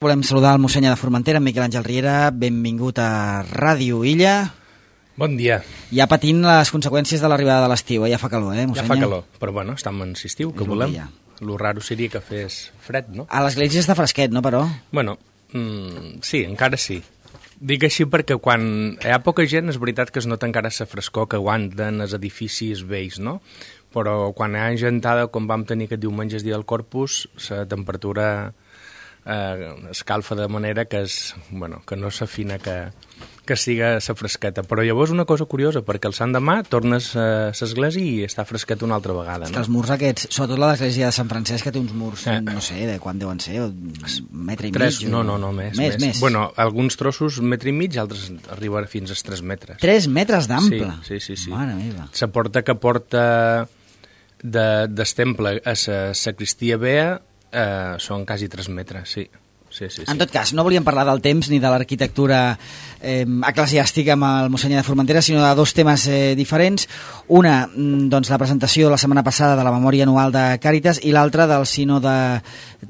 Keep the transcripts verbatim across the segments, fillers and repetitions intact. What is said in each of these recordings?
Volem saludar el mossèn de Formentera, Miquel Àngel Riera. Benvingut a Ràdio Illa. Bon dia. Ja patint les conseqüències de l'arribada de l'estiu, eh? Ja fa calor, eh, mossèn? Ja fa calor, però bueno, estem en estiu, que volem. Lo raro seria que fes fred, no? A l'església està fresquet, no, però? Bueno, mm, sí, encara sí. Dic així perquè quan hi ha poca gent és veritat que es nota encara la frescor que aguanten els edificis vells, no? Però quan hi ha gentada, com vam tenir aquest diumenge, el dia del Corpus, la temperatura eh, escalfa de manera que, és, bueno, que no s'afina que, que siga la fresqueta. Però llavors una cosa curiosa, perquè el sant demà tornes a l'església i està fresquet una altra vegada. És no? que els murs aquests, sobretot la l'església de Sant Francesc, que té uns murs, eh. no sé, de quan deuen ser, un metre i tres, mig? No, no, no, més, més, més. més. Bueno, alguns trossos metre i mig, altres arriben fins als tres metres. Tres metres d'ample? Sí, sí, sí. sí. Mare meva. La porta que porta de, del temple a la sacristia vea eh, són quasi tres metres, sí. Sí, sí, sí. En tot cas, no volíem parlar del temps ni de l'arquitectura eh, eclesiàstica amb el mossèn de Formentera, sinó de dos temes eh, diferents. Una, doncs, la presentació la setmana passada de la memòria anual de Càritas i l'altra del sínode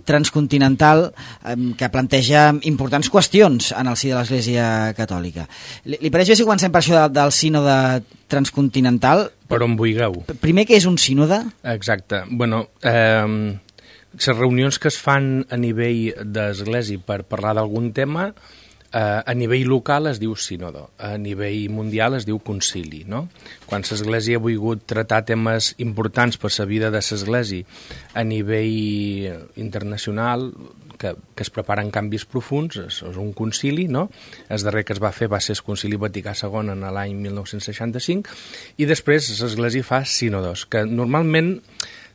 transcontinental eh, que planteja importants qüestions en el si de l'Església Catòlica. Li, li pareix bé si comencem per això de, del sínode transcontinental? Per on vulgueu. Primer, què és un sínode? Exacte. Bueno, eh... les reunions que es fan a nivell d'església per parlar d'algun tema, eh, a nivell local es diu sínodo, a nivell mundial es diu concili, no? Quan l'església ha volgut tratar temes importants per la vida de l'església a nivell internacional, que, que es preparen canvis profuns, és, és un concili, no? El darrer que es va fer va ser el concili Vaticà segon en l'any mil nou-cents seixanta-cinc, i després l'església fa sínodos, que normalment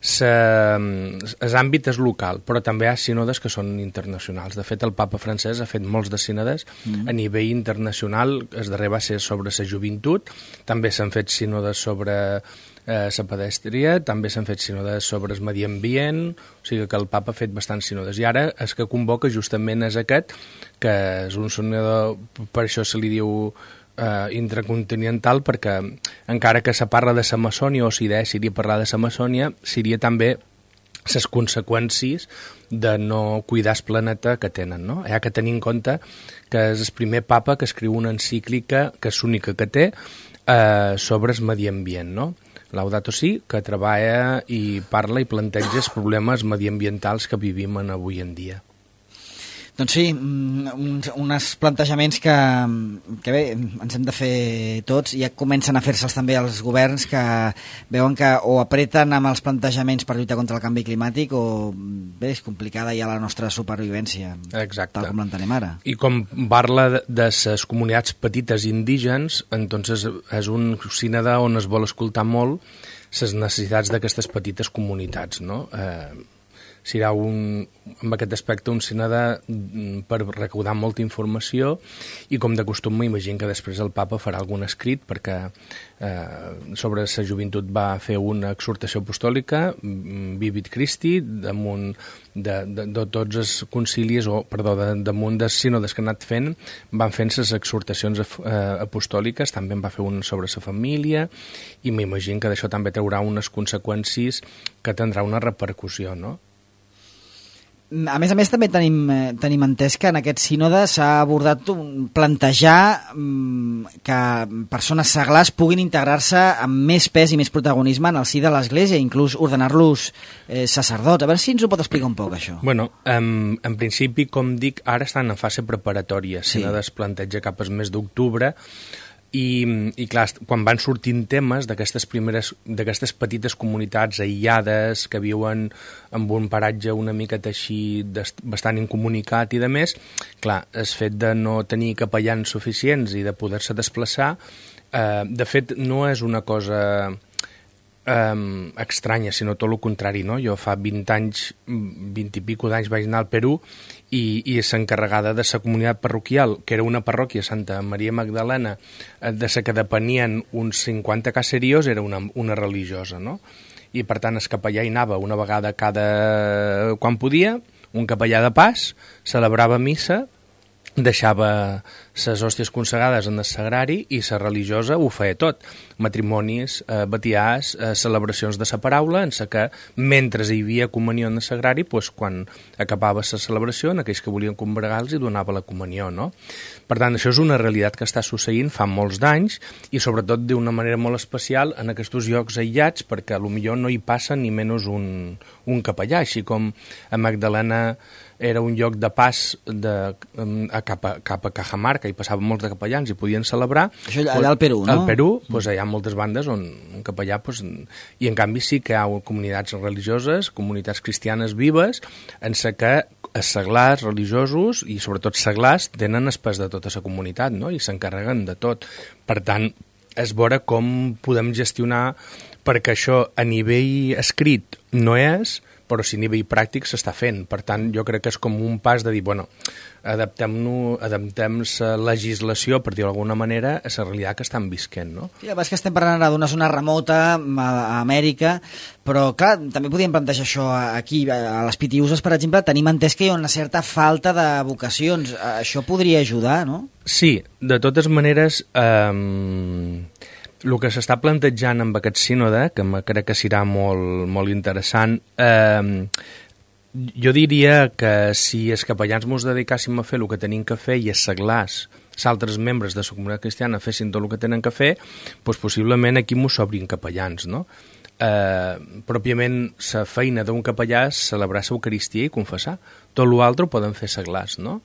l'àmbit és local, però també hi ha sínodes que són internacionals. De fet, el papa francès ha fet molts de sínodes mm. a nivell internacional. El darrer va ser sobre la joventut, també s'han fet sínodes sobre eh, la pedestria, també s'han fet sínodes sobre el medi ambient, o sigui que el papa ha fet bastants sínodes. I ara el que convoca justament és aquest, que és un sínode, per això se li diu Uh, intracontinental, perquè encara que se parla de la maçònia o s'idea seria parlar de la maçònia, seria també les conseqüències de no cuidar el planeta que tenen, no? Hi ha que tenir en compte que és el primer papa que escriu una encíclica, que és l'única que té, uh, sobre el medi ambient, no? Laudato Si, que treballa i parla i planteja els problemes mediambientals que vivim en avui en dia. Doncs sí, uns, uns plantejaments que, que bé, ens hem de fer tots, i ja comencen a fer-se'ls també els governs, que veuen que o apreten amb els plantejaments per lluitar contra el canvi climàtic o bé, és complicada ja la nostra supervivència. Exacte. Tal com l'entenem ara. I com parla de les comunitats petites indígenes, entonces és un sínode on es vol escoltar molt les necessitats d'aquestes petites comunitats, no? Eh, serà un, en aquest aspecte un sínode per recaudar molta informació, i com de costum m'imagino que després el papa farà algun escrit, perquè eh, sobre la joventut va fer una exhortació apostòlica, Vivit Christi, damunt de, de, de tots els concilis, o perdó, de, damunt dels sínodes que han anat fent, van fent les exhortacions eh, apostòliques, també en va fer una sobre la família, i m'imagino que d'això també traurà unes conseqüències que tindrà una repercussió, no? A més a més, també tenim, tenim entès que en aquest sínode s'ha abordat un, plantejar um, que persones seglars puguin integrar-se amb més pes i més protagonisme en el si de l'Església, inclús ordenar-los eh, sacerdots. A veure si ens ho pot explicar un poc, això. Bueno, um, en principi, com dic, ara estan en fase preparatòria. Sí. Sínode es planteja cap al mes d'octubre, I, i clar, quan van sortint temes d'aquestes primeres, d'aquestes petites comunitats aïllades que viuen en un paratge una miqueta així bastant incomunicat i de més, clar, el fet de no tenir capellans suficients i de poder-se desplaçar, eh, de fet no és una cosa eh, estranya, sinó tot el contrari, no? Jo fa vint anys, vint i pico d'anys vaig anar al Perú, i, i s'encarregada de la comunitat parroquial, que era una parròquia, Santa Maria Magdalena, de la que depenien uns cinquanta caserios, era una, una religiosa, no? I per tant el capellà hi anava una vegada cada... quan podia, un capellà de pas, celebrava missa deixava les hòsties consagrades en el sagrari i la religiosa ho feia tot. Matrimonis, eh, batiars, eh, celebracions de la paraula, en la que mentre hi havia comunió en el sagrari, pues, quan acabava la celebració, en aquells que volien combregar els hi donava la comunió, no? Per tant, això és una realitat que està succeint fa molts d'anys i sobretot d'una manera molt especial en aquests llocs aïllats, perquè potser no hi passa ni menys un, un capellà, així com a Magdalena era un lloc de pas de, a, cap, a, cap a Cajamarca, hi passaven molts de capellans i podien celebrar. Això allà al Perú, no? Al Perú, doncs, hi ha moltes bandes on un capellà, doncs, i en canvi sí que hi ha comunitats religioses, comunitats cristianes vives, en la que els seglars religiosos i sobretot seglars tenen el pes de tota la comunitat, no? I s'encarreguen de tot. Per tant, és veure com podem gestionar, perquè això a nivell escrit no és, però si a nivell pràctic s'està fent. Per tant, jo crec que és com un pas de dir, bueno, adaptem-nos, adaptem la legislació, per dir-ho d'alguna manera, a la realitat que estan visquent, no? Sí, és que estem parlant ara d'una zona remota, a Amèrica, però, clar, també podríem plantejar això aquí, a les Pitiuses, per exemple, tenim entès que hi ha una certa falta de vocacions. Això podria ajudar, no? Sí, de totes maneres, eh, el que s'està plantejant amb aquest sínode, que crec que serà molt, molt interessant, eh, jo diria que si els capellans ens dedicàssim a fer el que tenim que fer i els seglars, els altres membres de la comunitat cristiana fessin tot el que tenen que fer, doncs possiblement aquí mos s'obrin capellans, no? Eh, pròpiament la feina d'un capellà és celebrar l'Eucaristia i confessar. Tot l'altre ho poden fer seglars, no?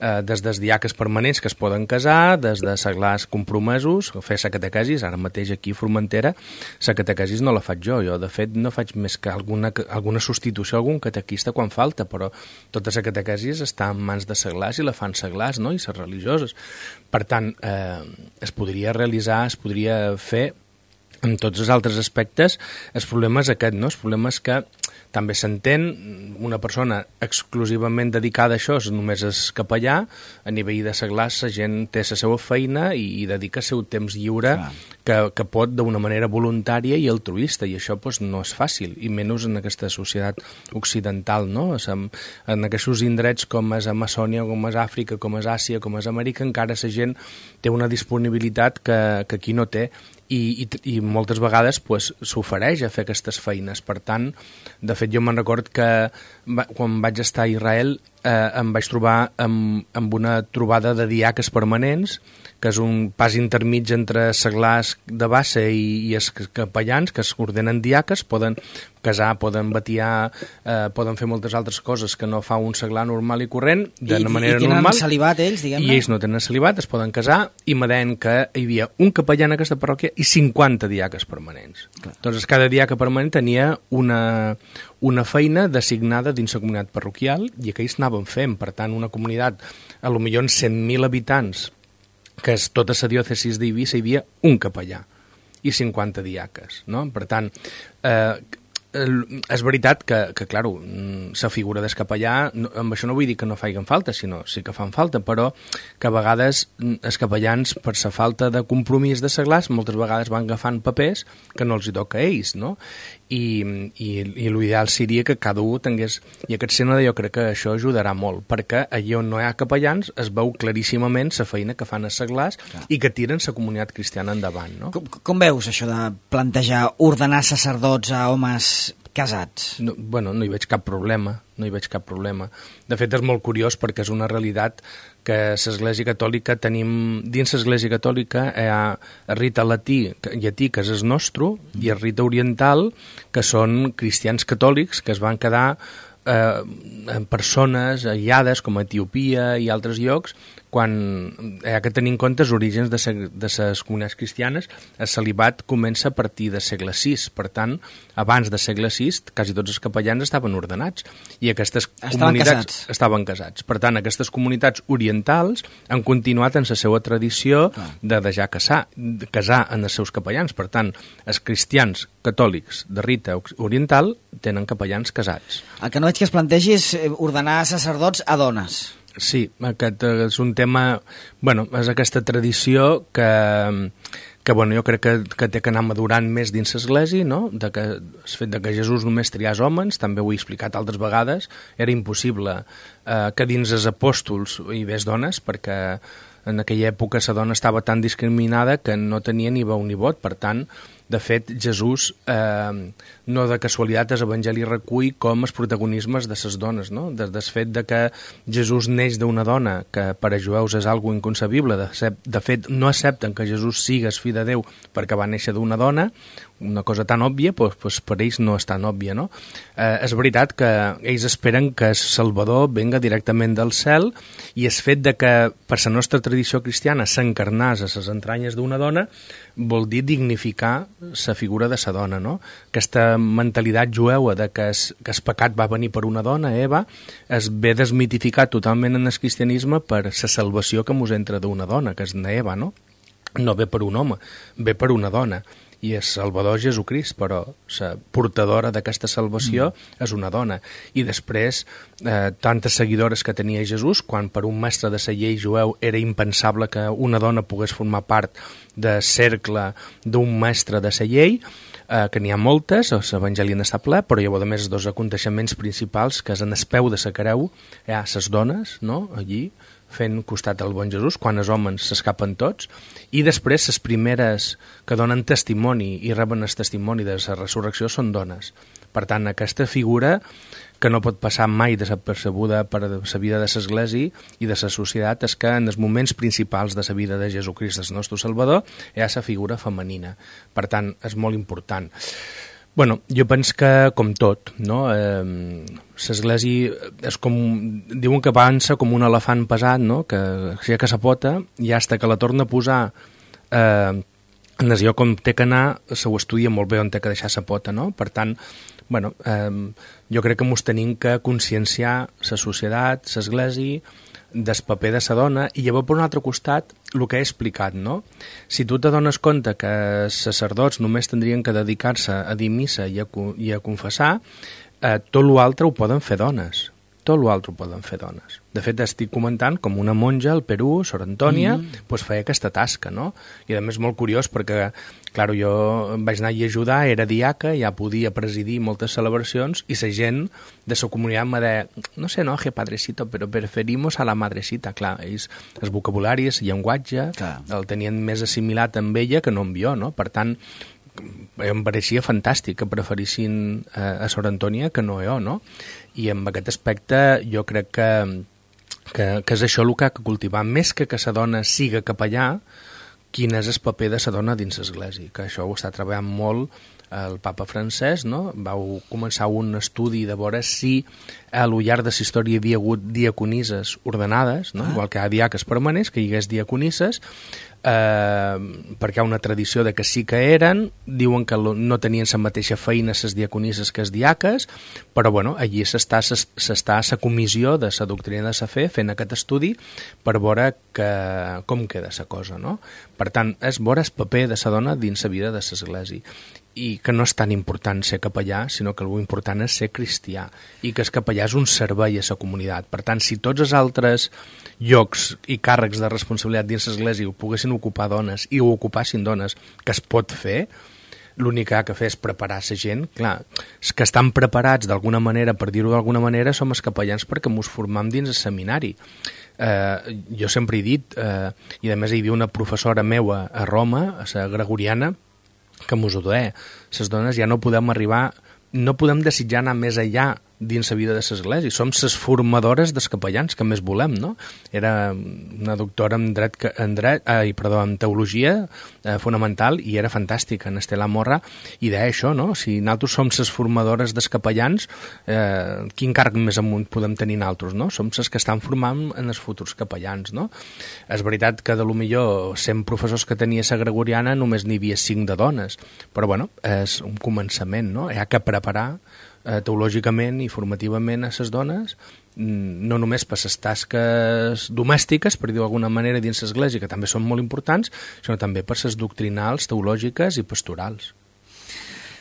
Eh, des dels diaques permanents que es poden casar, des de seglars compromesos, fer la catequesis, ara mateix aquí a Formentera, la catequesis no la faig jo, jo de fet no faig més que alguna, alguna substitució a algun catequista quan falta, però tota la catequesis està en mans de seglars i la fan seglars, no? I les religioses. Per tant, eh, es podria realitzar, es podria fer en tots els altres aspectes. El problema és aquest, no? El problema és que també s'entén, una persona exclusivament dedicada a això només és capellà, a nivell de seglars la gent té la seva feina i, i dedica el seu temps lliure que, que pot d'una manera voluntària i altruista, i això pues, no és fàcil, i menys en aquesta societat occidental, no? En, en aquests indrets com és Amazònia, com és Àfrica, com és Àsia, com és Amèrica, encara la gent té una disponibilitat que, que aquí no té, i, i, i moltes vegades pues, s'ofereix a fer aquestes feines. Per tant, de fet, jo me'n record que va, quan vaig estar a Israel eh, em vaig trobar amb, amb una trobada de diaques permanents, que és un pas intermig entre seglars de base i, i els capellans, que es ordenen diaques, poden casar, poden batiar, eh, poden fer moltes altres coses que no fa un seglar normal i corrent, d'una manera normal. I tenen celibat ells, diguem-ne? I ells no tenen celibat, es poden casar, i me deien que hi havia un capellà en aquesta parròquia i cinquanta diaques permanents. Clar. Doncs cada diaca permanent tenia una, una feina designada dins la comunitat parroquial i aquells anaven fent. Per tant, una comunitat, a lo millor cent mil habitants, que és tota la diòcesis d'Eivissa, hi havia un capellà i cinquanta diaques, no? Per tant, eh, és veritat que, que clar, la figura del capellà, no, amb això no vull dir que no facin falta, sinó sí que fan falta, però que a vegades els capellans, per la falta de compromís de seglars, moltes vegades van agafant papers que no els hi toca a ells, no? I, i, i l'ideal seria que cada un tingués, i aquest sínode jo crec que això ajudarà molt, perquè allà on no hi ha capellans es veu claríssimament la feina que fan els seglars i que tiren la comunitat cristiana endavant, no? Com, com veus això de plantejar ordenar sacerdots a homes casats? No, bueno, no hi veig cap problema, no hi veig cap problema. De fet, és molt curiós perquè és una realitat que l'Església Catòlica tenim, dins l'Església Catòlica hi ha el rite latí, llatí, que és el nostre, i el rite oriental, que són cristians catòlics que es van quedar eh, en persones aïllades com a Etiòpia i altres llocs, quan hi ha que tenir en compte els orígens de, de les comunitats cristianes. El celibat comença a partir del segle sis, per tant, abans del segle sis, quasi tots els capellans estaven ordenats, i aquestes estaven comunitats casats. estaven casats. Per tant, aquestes comunitats orientals han continuat en la seva tradició ah. de deixar casar, de casar en els seus capellans. Per tant, els cristians catòlics de rite oriental tenen capellans casats. El que no veig que es plantegi és ordenar sacerdots a dones. Sí, aquest és un tema... Bueno, és aquesta tradició que, que bueno, jo crec que, que té que anar madurant més dins l'Església, no? De que, el fet de que Jesús només triés homes, també ho he explicat altres vegades, era impossible eh, que dins els apòstols hi hagués dones, perquè en aquella època la dona estava tan discriminada que no tenia ni veu ni vot. Per tant, de fet, Jesús, eh, no de casualitat, l'Evangeli recull com els protagonismes de les dones, no? Des del fet de que Jesús neix d'una dona, que per a jueus és algo inconcebible. De, de fet, no accepten que Jesús sigues fill de Déu perquè va néixer d'una dona, una cosa tan òbvia, doncs, doncs per ells no és tan òbvia, no? Eh, és veritat que ells esperen que el Salvador venga directament del cel, i el fet de que per la nostra tradició cristiana s'encarnàs a les entranyes d'una dona vol dir dignificar la figura de la dona, no? Aquesta mentalitat jueva de que el, que el pecat va venir per una dona, Eva, es ve desmitificat totalment en el cristianisme per la salvació que mos entra d'una dona, que és na Eva, no? No ve per un home, ve per una dona. I el Salvador Jesucrist, però la portadora d'aquesta salvació mm. és una dona. I després, eh, tantes seguidores que tenia Jesús, quan per un mestre de la llei jueu era impensable que una dona pogués formar part del cercle d'un mestre de la llei, eh, que n'hi ha moltes, l'Evangeli n'està ple, però llavors, a més, els dos aconteixements principals, que és en el peu de la creu, hi ha les dones, no?, allí, fent costat al bon Jesús, quan els homes s'escapen tots, i després les primeres que donen testimoni i reben el testimoni de la resurrecció són dones. Per tant, aquesta figura que no pot passar mai desapercebuda per la vida de l'Església i de la societat és que en els moments principals de la vida de Jesucrist, el nostre Salvador, hi ha la figura femenina. Per tant, és molt important. Bueno, jo penso que, com tot, no? Eh, l'Església és com, diuen que avança com un elefant pesat, no? Que aixeca la pota i fins que la torna a posar eh, en el lloc on té que anar, se ho estudia molt bé on té que deixar la pota, no? Per tant, bueno, eh, jo crec que mos tenim que conscienciar la societat, l'Església, del paper de la dona, i llavors per un altre costat el que he explicat, no? Si tu te dones compte que els sacerdots només tindrien que dedicar-se a dir missa i a, i a confessar, eh, tot l'altre ho poden fer dones. Tot l'altre ho poden fer dones. De fet, estic comentant com una monja al Perú, Sor Antònia, mm. pues, feia aquesta tasca, no? I a més molt curiós perquè, clar, jo vaig anar a ajudar, era diaca, ja podia presidir moltes celebracions, i la gent de la comunitat me deia, no sé, no, que padrecito, però preferimos a la madrecita. Clar, ells, el vocabulari, el llenguatge, clar, el tenien més assimilat amb ella que no amb jo, no? Per tant, em pareixia fantàstic que preferissin eh, a Sor Antònia que no jo, no? I en aquest aspecte jo crec que, que, que és això el que ha de cultivar, més que que la dona siga capellà, quin és el paper de la dona dins l'Església, que això ho està treballant molt el papa Francesc, no? Vau començar un estudi de veure si a lo llarg de la història hi havia hagut diaconisses ordenades, no? Ah. Igual que hi ha diaques permanents, que hi hagués diaconisses, eh, perquè hi ha una tradició de que sí que eren, diuen que no tenien la mateixa feina les diaconisses que els diaques, però bueno, allí s'està s'està a la comissió de la doctrina de la fe fent aquest estudi per veure que, com queda la cosa, no? Per tant, és veure el paper de la dona dins la vida de l'Església, i que no és tan important ser capellà, sinó que el important és ser cristià, i que el capellà és un servei a la comunitat. Per tant, si tots els altres llocs i càrrecs de responsabilitat dins l'Església ho poguessin ocupar dones i ho ocupassin dones, que es pot fer, l'únic que ha de fer és preparar la gent. Clar, els que estan preparats d'alguna manera, per dir-ho d'alguna manera, som els capellans perquè mos formam dins el seminari. Eh, jo sempre he dit, eh, i a més hi havia una professora meua a Roma, a la Gregoriana, que mos ho deia, les dones ja no podem arribar, no podem desitjar anar més enllà dins la vida de l'Església, som les formadores dels capellans que més volem, no? Era una doctora en dret, en dret ai, perdó, en teologia eh, fonamental, i era fantàstica, en Estela Morra, i deia això, no? Si nosaltres som les formadores dels capellans, eh, quin càrrec més amunt podem tenir nosaltres, no? Som les que estan formant en els futurs capellans, no? És veritat que de lo millor cent professors que tenia la Gregoriana només n'hi havia cinc de dones, però bueno, és un començament, no? Hi ha que preparar eh, teològicament i formativament a les dones, no només per les tasques domèstiques, per dir-ho d'alguna manera, dins l'Església, que també són molt importants, sinó també per les doctrinals, teològiques i pastorals.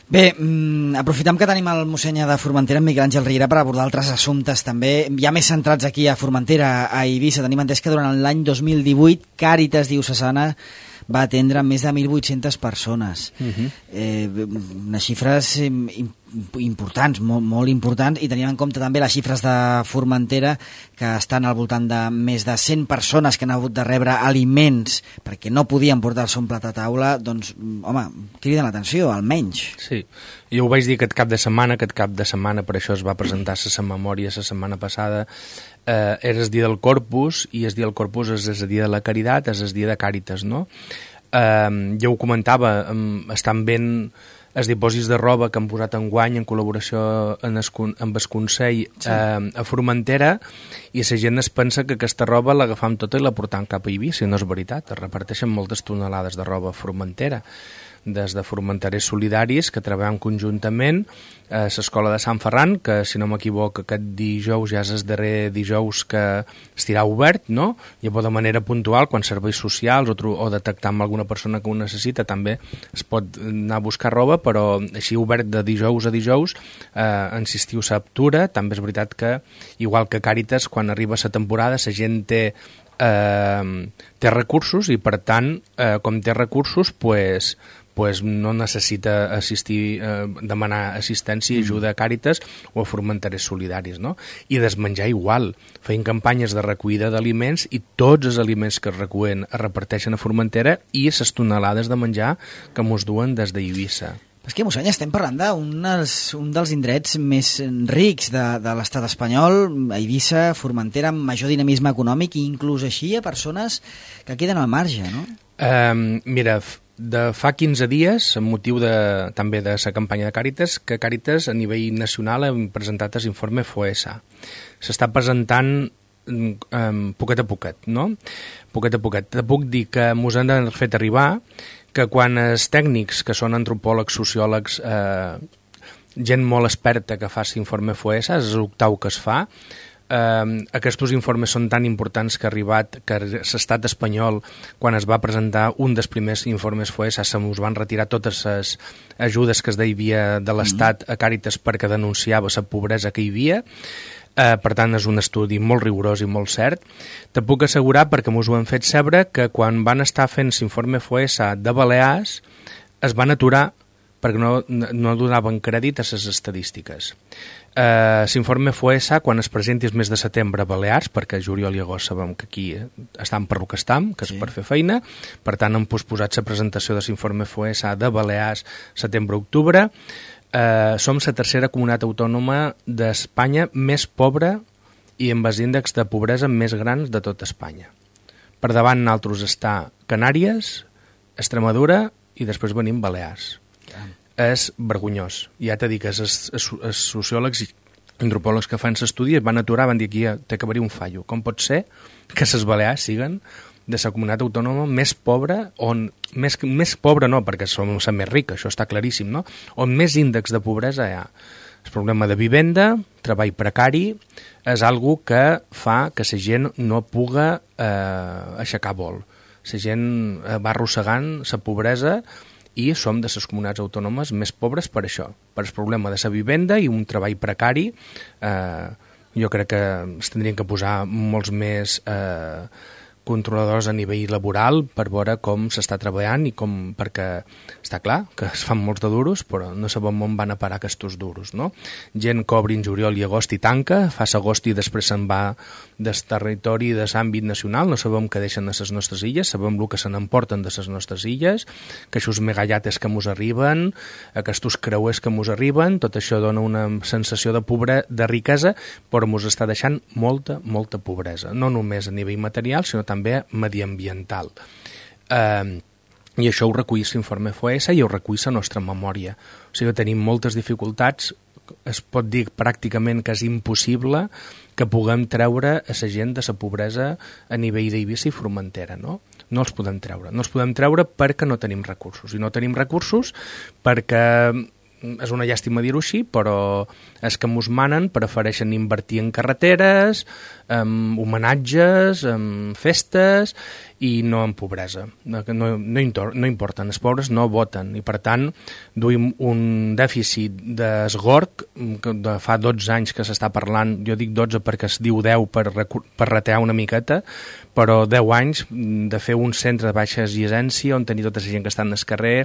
Bé, mm, aprofitem que tenim el mossèn de Formentera, en Miquel Àngel Riera, per abordar altres assumptes també, ja més centrats aquí a Formentera, a Eivissa. Tenim entès que durant l'any dos mil divuit Càritas Diocesana va atendre més de mil vuit-centes persones. Uh-huh. eh, unes xifres importants, molt, molt importants, i tenim en compte també les xifres de Formentera, que estan al voltant de més de cent persones que han hagut de rebre aliments perquè no podien portar-se un plat a taula, doncs, home, criden l'atenció, almenys. Sí, jo ho vaig dir aquest cap de setmana, aquest cap de setmana, per això es va presentar la memòria la setmana passada, eh, era el dia del Corpus, i el dia del Corpus és el dia de la Caritat, és el dia de Càritas, no? Eh, jo ho comentava, eh, estan ben els dipòsits de roba que han posat enguany en col·laboració en es, amb el Consell sí. eh, a Formentera, i la gent es pensa que aquesta roba l'agafam tota i la portam cap a Eivissa, i no és veritat, es reparteixen moltes tonelades de roba a Formentera, des de Formenterers Solidaris, que treballen conjuntament a l'Escola de Sant Ferran, que, si no m'equivoco, aquest dijous ja és el darrer dijous que estirà obert, no? I de manera puntual, quan serveis socials o, o detectar amb alguna persona que ho necessita, també es pot anar a buscar roba, però així obert de dijous a dijous, eh, insistiu s'aptura. També és veritat que, igual que Càritas, quan arriba la temporada, la gent té eh, té recursos, i per tant, eh, com té recursos, pues, pues no necessita assistir, eh, demanar assistència i ajuda a Càritas o a Formenterers Solidaris, no? I desmenjar igual. Feien campanyes de recollida d'aliments, i tots els aliments que es recullen es reparteixen a Formentera, i les tonelades de menjar que mos duen des d'Eivissa. És que, mossèn, estem parlant d'un dels, un dels indrets més rics de, de l'estat espanyol, a Eivissa, Formentera, amb major dinamisme econòmic, i inclús així hi ha persones que queden al marge, no? Um, mira, de fa quinze dies, amb motiu de, també de la campanya de Càritas, que Càritas a nivell nacional hem presentat l'informe FOESA. S'està presentant um, poquet a poquet, no? Poquet a poquet. Te puc dir que mos han fet arribar que quan els tècnics, que són antropòlegs, sociòlegs, eh, gent molt experta que fa l'informe FOESA, és l'octau que es fa, eh, aquests informes són tan importants que ha arribat que l'estat espanyol, quan es va presentar un dels primers informes FOESA, se mos van retirar totes les ajudes que es devia de l'Estat a Càritas perquè denunciava la pobresa que hi havia. Uh, per tant, és un estudi molt rigorós i molt cert. Te puc assegurar, perquè mos ho han fet saber, que quan van estar fent l'informe FOESA de Balears es van aturar perquè no, no donaven crèdit a les estadístiques. Uh, l'informe FOESA, quan es presenti el mes de setembre a Balears, perquè juliol i agost sabem que aquí estan per lo que estam, que és sí. per fer feina, per tant han posposat la presentació de l'informe FOESA de Balears setembre-octubre. Uh, som la tercera comunitat autònoma d'Espanya més pobra i amb els índexs de pobresa més grans de tot Espanya. Per davant nosaltres està Canàries, Extremadura, i després venim Balears. Yeah. És vergonyós. Ja t'he dit que els, els, els sociòlegs i antropòlegs que fan l'estudi van aturar, van dir que ja té que haver-hi un fallo. Com pot ser que les Balears siguen de la comunitat autònoma més pobra, on més, més pobra no, perquè som la més rica, això està claríssim, no? On més índex de pobresa hi ha. El problema de vivenda, treball precari, és algo que fa que la gent no puga eh, aixecar vol. La gent va arrossegant la pobresa, i som de les comunitats autònomes més pobres per això, per el problema de la vivenda i un treball precari. Eh, jo crec que es tindrien que posar molts més eh, controladors a nivell laboral per veure com s'està treballant, i com, perquè està clar que es fan molts de duros, però no sabem on van a parar aquests duros, no? Gent que obri en juliol i agost i tanca, fa l'agost i després se'n va del territori, de l'àmbit nacional, no sabem què deixen de les nostres illes, sabem el que se n'emporten de les nostres illes, que aquests megallates que mos arriben, aquests creuers que mos arriben, tot això dona una sensació de pobre, de riquesa, però mos està deixant molta, molta pobresa, no només a nivell material, sinó també mediambiental. Eh, I això ho recull l'informe FOESA i ho recull la nostra memòria. O sigui que tenim moltes dificultats, es pot dir pràcticament que és impossible que puguem treure a la gent de la pobresa a nivell d'Eivissa i Formentera, no? No els podem treure. No els podem treure perquè no tenim recursos. I no tenim recursos perquè, és una llàstima dir-ho així, però és que mos manen, prefereixen invertir en carreteres, en homenatges, en festes, i no en pobresa. No, no, no, no importen, els pobres no voten, i per tant duim un dèficit d'esgorg que de fa dotze anys que s'està parlant, jo dic dotze perquè es diu deu per, per ratear una miqueta, però deu anys de fer un centre de baixa exigència on tenir tota la gent que està en el carrer,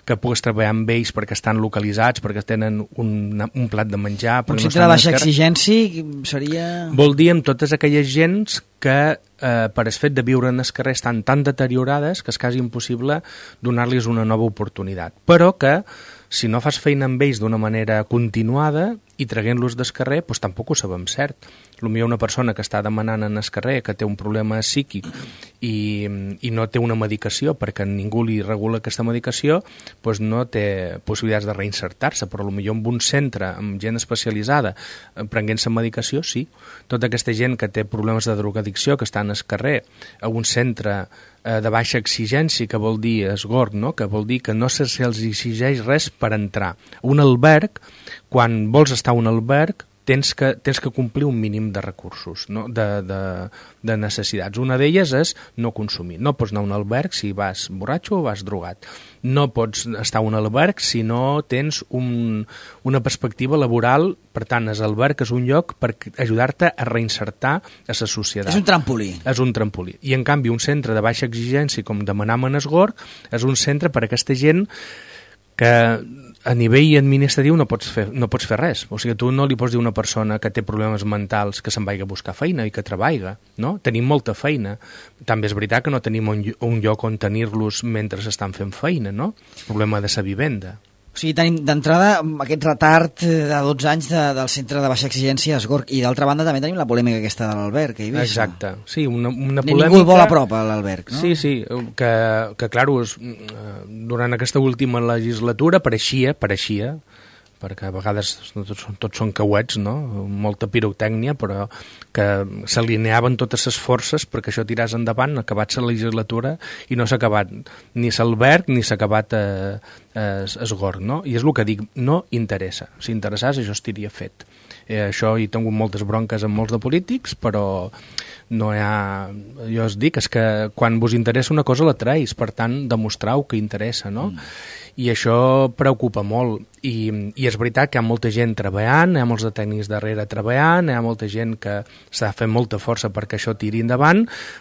que puguis treballar amb ells perquè estan localitzats, perquè tenen un, un plat de menjar... Un centre de baixa exigència seria... Vol dir amb totes aquelles gens que eh, per el fet de viure en el carrer estan tan deteriorades que és quasi impossible donar-los una nova oportunitat. Però que si no fas feina amb ells d'una manera continuada i traguent-los del carrer, doncs tampoc ho sabem cert. Potser una persona que està demanant en el carrer que té un problema psíquic i, i no té una medicació perquè ningú li regula aquesta medicació, doncs no té possibilitats de reinsertar-se, però potser en un centre amb gent especialitzada prenent-se medicació, sí. Tota aquesta gent que té problemes de drogadicció que està en el carrer, a un centre eh, de baixa exigència, que vol dir esgorg, no? Que vol dir que no se'ls exigeix res per entrar. Un alberg, quan vols estar a un alberg, tens que, tens que complir un mínim de recursos, no? de, de, de necessitats. Una d'elles és no consumir. No pots anar a un alberg si vas borratxo o vas drogat. No pots estar a un alberg si no tens un, una perspectiva laboral. Per tant, l'alberg és un lloc per ajudar-te a reinsertar a la societat. És un trampolí. És un trampolí. I, en canvi, un centre de baixa exigència, com demanàvem en esgorg, és un centre per a aquesta gent que a nivell administratiu no pots fer, no pots fer res. O sigui, tu no li pots dir a una persona que té problemes mentals que se'n vagi a buscar feina i que treballa, no? Tenim molta feina. També és veritat que no tenim un, un lloc on tenir-los mentre estan fent feina, no? El problema de sa vivenda. O sigui, tenim d'entrada aquest retard de dotze anys de, del centre de baixa exigència esgorg, i d'altra banda també tenim la polèmica aquesta de l'alberg a Eivissa. Exacte, sí, una, una polèmica... Ningú el vol a prop a l'alberg, no? Sí, sí, que, que clar, durant aquesta última legislatura pareixia, pareixia, perquè a vegades tots, tots són cauets, no? Molta pirotècnia, però que s'alineaven totes les forces perquè això tiràs endavant, acabat la legislatura i no s'ha acabat ni l'alberg ni s'ha acabat eh, eh, esgorg, no? I és el que dic, no interessa. Si interessés, això estaria fet. Eh, això hi he tingut moltes bronques amb molts de polítics, però no hi ha... Jo us dic, és que quan vos interessa una cosa la traïs, per tant, demostrau que interessa, no? Mm. I això preocupa molt. I, i és veritat que hi ha molta gent treballant, hi ha molts de tècnics darrere treballant, hi ha molta gent que està fent molta força perquè això tiri endavant,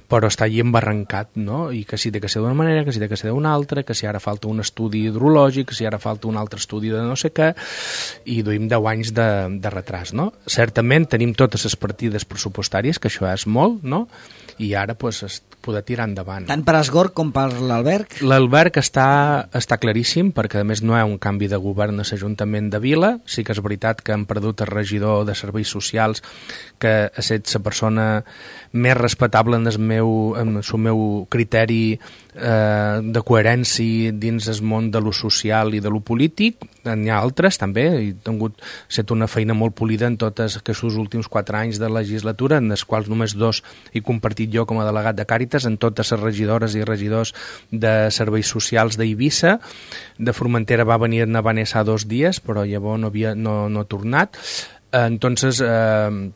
però està allí embarrancat, no? I que si té que ser d'una manera, que si té que ser d'una altra, que si ara falta un estudi hidrològic, que si ara falta un altre estudi de no sé què, i duim deu anys de, de retras, no? Certament tenim totes les partides pressupostàries, que això és molt, no? I ara pues, es poder tirar endavant. Tant per esgorg com per l'alberg? L'alberg està, està claríssim, perquè a més no hi ha un canvi de govern a l'Ajuntament de Vila. Sí que és veritat que han perdut el regidor de serveis socials, que ha estat la persona més respectable en el meu, en el meu criteri eh, de coherència dins el món de lo social i de lo polític. N'hi ha altres també, he tingut set una feina molt polida en tots aquests últims quatre anys de legislatura, en els quals només dos he compartit jo com a delegat de Càritas, en totes les regidores i regidors de serveis socials d'Eivissa. De Formentera va venir a Vanessa dos dies, però llavors no havia no, no ha tornat. Entonces, eh,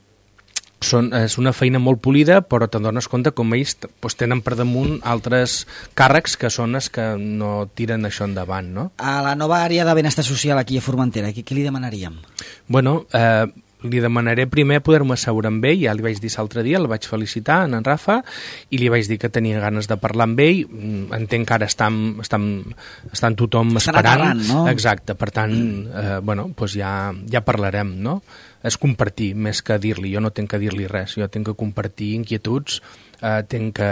són, és una feina molt polida, però te'n dones compte com ells pues, tenen per damunt altres càrrecs que són els que no tiren això endavant, no? A la nova àrea de benestar social aquí a Formentera, què, què li demanaríem? Bueno, eh, li demanaré primer poder-me asseure amb ell, ja li vaig dir l'altre dia, el vaig felicitar, en Rafa, i li vaig dir que tenia ganes de parlar amb ell. Entenc que ara estan, estan, estan tothom estan esperant. Aterrant, no? Exacte, per tant, eh, bueno, pues ja, ja parlarem, no? És compartir, més que dir-li. Jo no tinc que dir-li res, jo tinc que compartir inquietuds, eh, tinc que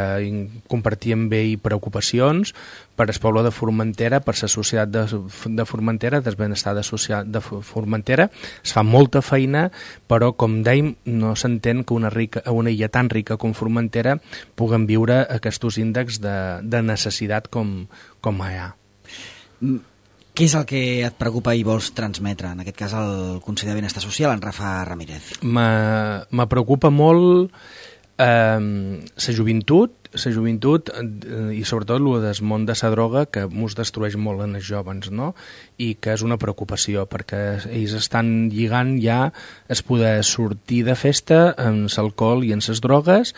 compartir amb ell preocupacions per el poble de Formentera, per la societat de, de Formentera, del benestar de, social, de Formentera. Es fa molta feina, però, com dèiem, no s'entén que una, rica, una illa tan rica com Formentera puguen viure aquests índexs de, de necessitat com, com hi ha. Mm. Què és el que et preocupa i vols transmetre, en aquest cas, al conseller de Benestar Social, en Rafa Ramírez? Me preocupa molt eh, la joventut, la joventut eh, i sobretot el del món de la droga, que ens destrueix molt en els joves, no? I que és una preocupació, perquè ells estan lligant ja es poder sortir de festa amb l'alcohol i amb les drogues.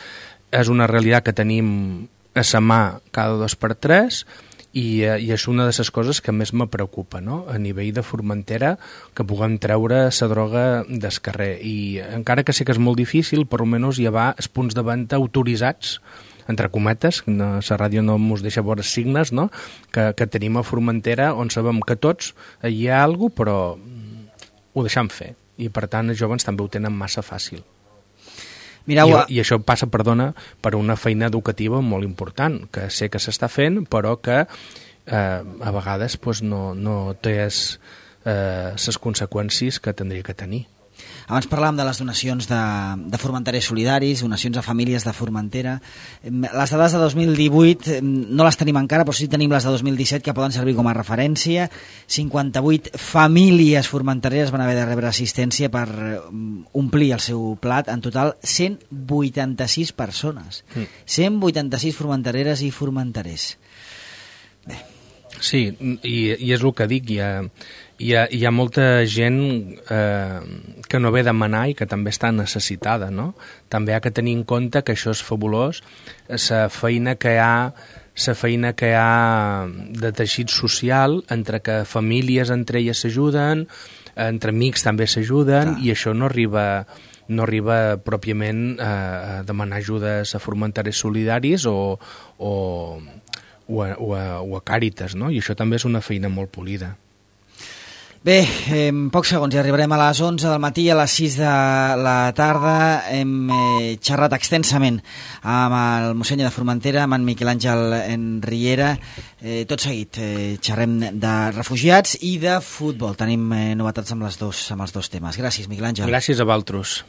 És una realitat que tenim a sa mà cada dos per tres, i, eh, i és una de les coses que més me preocupa, no? A nivell de Formentera, que puguem treure la droga del carrer. I encara que sé que és molt difícil, per almenys hi ha els punts de venda autoritzats, entre cometes, la ràdio no ens deixa veure signes, no? que, que tenim a Formentera, on sabem que tots hi ha alguna cosa, però ho deixem fer. I per tant els joves també ho tenen massa fàcil. Mireu, I, I això passa, perdona, per una feina educativa molt important, que sé que s'està fent, però que eh, a vegades pues, no, no té les eh, conseqüències que tindria que tenir. Abans parlàvem de les donacions de, de formenterers solidaris, donacions a famílies de Formentera. Les dades de dos mil divuit no les tenim encara, però sí tenim les de dos mil disset que poden servir com a referència. cinquanta-vuit famílies formentereres van haver de rebre assistència per omplir el seu plat. En total, cent vuitanta-sis persones. Mm. cent vuitanta-sis formentereres i formenterers. Bé. Sí, i, i és el que dic, hi ha, hi ha, hi ha molta gent eh, que no ve a demanar i que també està necessitada, no? També ha que tenir en compte que això és fabulós, la feina que hi ha, la feina que hi ha de teixit social, entre que famílies entre elles s'ajuden, entre amics també s'ajuden, i això no arriba... no arriba pròpiament a demanar ajudes a formenterers solidaris o... o O a, o, a, o a Càritas, no? I això també és una feina molt polida. Bé, en pocs segons ja arribarem a les onze del matí, a les sis de la tarda hem eh, xerrat extensament amb el mossènyer de Formentera, amb en Miquel Àngel Riera. Eh, tot seguit eh, xerrem de refugiats i de futbol. Tenim eh, novetats amb, les dos, amb els dos temes. Gràcies, Miquel Àngel. Gràcies a vosaltres.